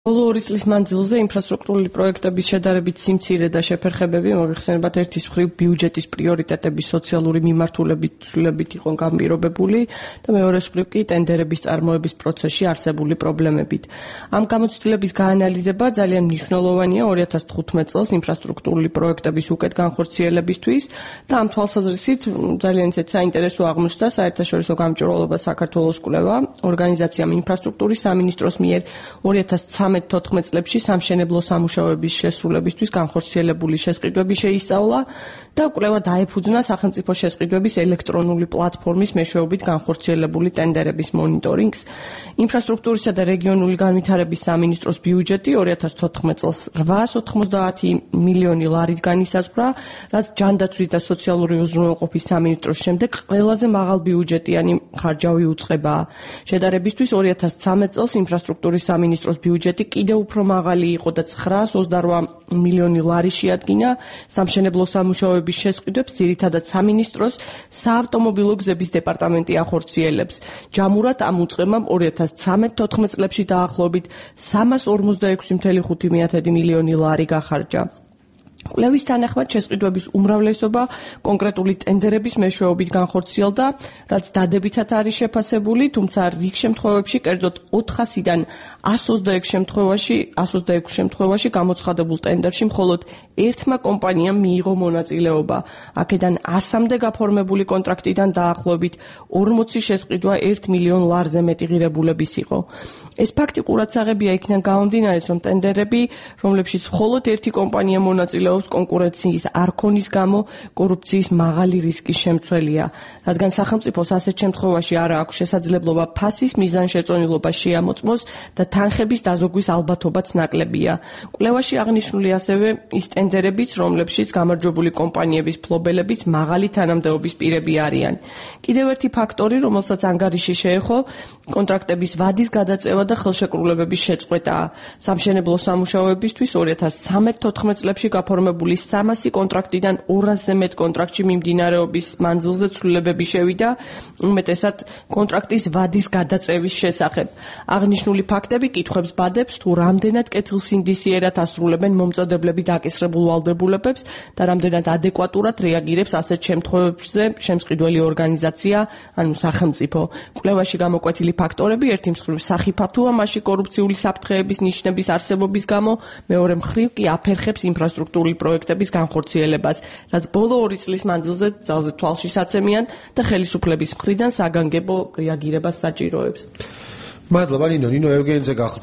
ბოლო 2 წლის მანძილზე ინფრასტრუქტურული პროექტების შედარებით სიმცირე და შეფერხებები მოიხსენებათ ერთის მხრივ ბიუჯეტის პრიორიტეტების სოციალური მიმართულებით ცვლილებით იყო განპირობებული და მეორეს მხრივ კი ტენდერების წარმოების პროცესში არსებული პრობლემებით. Ამ გამოცდილების გაანალიზება ძალიან მნიშვნელოვანია 2015 წელს ინფრასტრუქტურული პროექტების უკეთ განხორციელებისთვის და ამ თვალსაზრისით ძალიან საინტერესო აღმოჩნდა საერთაშორისო გამჭვირვალობა საქართველოს კვლევა ორგანიზაციამ ინფრასტრუქტურის სამინისტროს მიერ 2013-14 წლებში სამშენებლო სამუშაოების შესრულებისთვის განხორციელებული შესყიდვები შეისწავლა და კვლევა დაეფუძნა სახელმწიფო შესყიდვების ელექტრონული პლატფორმის მეშვეობით განხორციელებული ტენდერების მონიტორინგს. ინფრასტრუქტურისა და რეგიონული განვითარების სამინისტროს ბიუჯეტი 2014 წელს 890 მილიონი ლარით განისაზღვრა, რაც ჯანდაცვის და სოციალური უზრუნველყოფის სამინისტროს შემდეგ ყველაზე მაღალ ბიუჯეტიანი ხარჯავი უწყებაა. შედარებისთვის 2013 წელს ინფრასტრუქტურის სამინისტროს ბიუჯეტი კიდევ უფრო მაღალი იყო და 928 მილიონი ლარი შეადგინა სამშენებლო სამუშაოების შესყიდვებს ძირითადად სამინისტროს საავტომობილო გზების დეპარტამენტი ახორციელებს. ჯამურად ამ უწყებამ 2013-14 წლებში დაახლოებით 346,5 მილიონი ლარი გახარჯა. კვლევის თანახმად შესყიდვების უმრავლესობა კონკრეტული ტენდერების მეშვეობით განხორციელდა, რაც დადებითად არის შეფასებული, თუმცა რიგ შემთხვევებში, კერძოდ 400-დან 126 შემთხვევაში გამოცხადებულ ტენდერში მხოლოდ ერთმა კომპანიამ მიიღო მონაწილეობა. აქედან 100-მდე გაფორმებული კონტრაქტიდან დაახლოებით 40 შესყიდვა 1 მილიონ ლარზე მეტი ღირებულების იყო. ეს ფაქტი ყურადსაღებია იქიდან გამომდინარე, რომ ტენდერები, რომლებშიც მხოლოდ ერთი კომპანია მონაწილეობს კონკურენციის არქონის გამო კორუფციის მაღალი რისკის შემცველია, რადგან სახელმწიფოს ასეთ შემთხვევაში არ აქვს შესაძლებლობა ფასის მიზანშეწონილობა შეამოწმოს და თანხების დაზოგვის ალბათობაც ნაკლებია. კვლევაში აღნიშნული ასევე ის ტენდერებიც, რომლებშიც გამარჯვებული კომპანიების ფლობელებიც მაღალი თანამდებობის პირები არიან. კიდევ ერთი ფაქტორი, რომელსაც ანგარიში შეეხო, კონტრაქტების ვადის გადაწევა და ხელშეკრულებების შეწყვეტაა. სამშენებლო სამუშაოებისთვის 2013-14 წლებში გაფორმებული 300 კონტრაქტიდან 200-ზე მეტ კონტრაქტში მიმდინარეობის მანძილზე ცვლილებები შევიდა, უმეტესად კონტრაქტის ვადის გადაწევის შესახებ. აღნიშნული ფაქტები კითხვებს ბადებს, თუ რამდენად კეთილსინდისიერად ასრულებენ მომწოდებლები დაკისრებულ ვალდებულებებს და რამდენად ადეკვატურად რეაგირებს ასეთ შემთხვევებზე შემსყიდველი ორგანიზაცია, ანუ სახელმწიფო. კვლევაში გამოკვეთილი ფაქტორები ერთი მხრივ სახიფათოა მასში კორუფციული საფრთხეების ნიშნების არსებობის გამო, მეორე მხრივ კი აფერხებს ინფრასტრუქტურული პროექტების განხორციელებას, რაც ბოლო 2 წლის მანძილზე ძალზე თვალშისაცემიან და ხელისუფლების მხრიდან საგანგებო რეაგირებას საჭიროებს. მადლობა ნინო. ნინო ევგენიძე გახლდა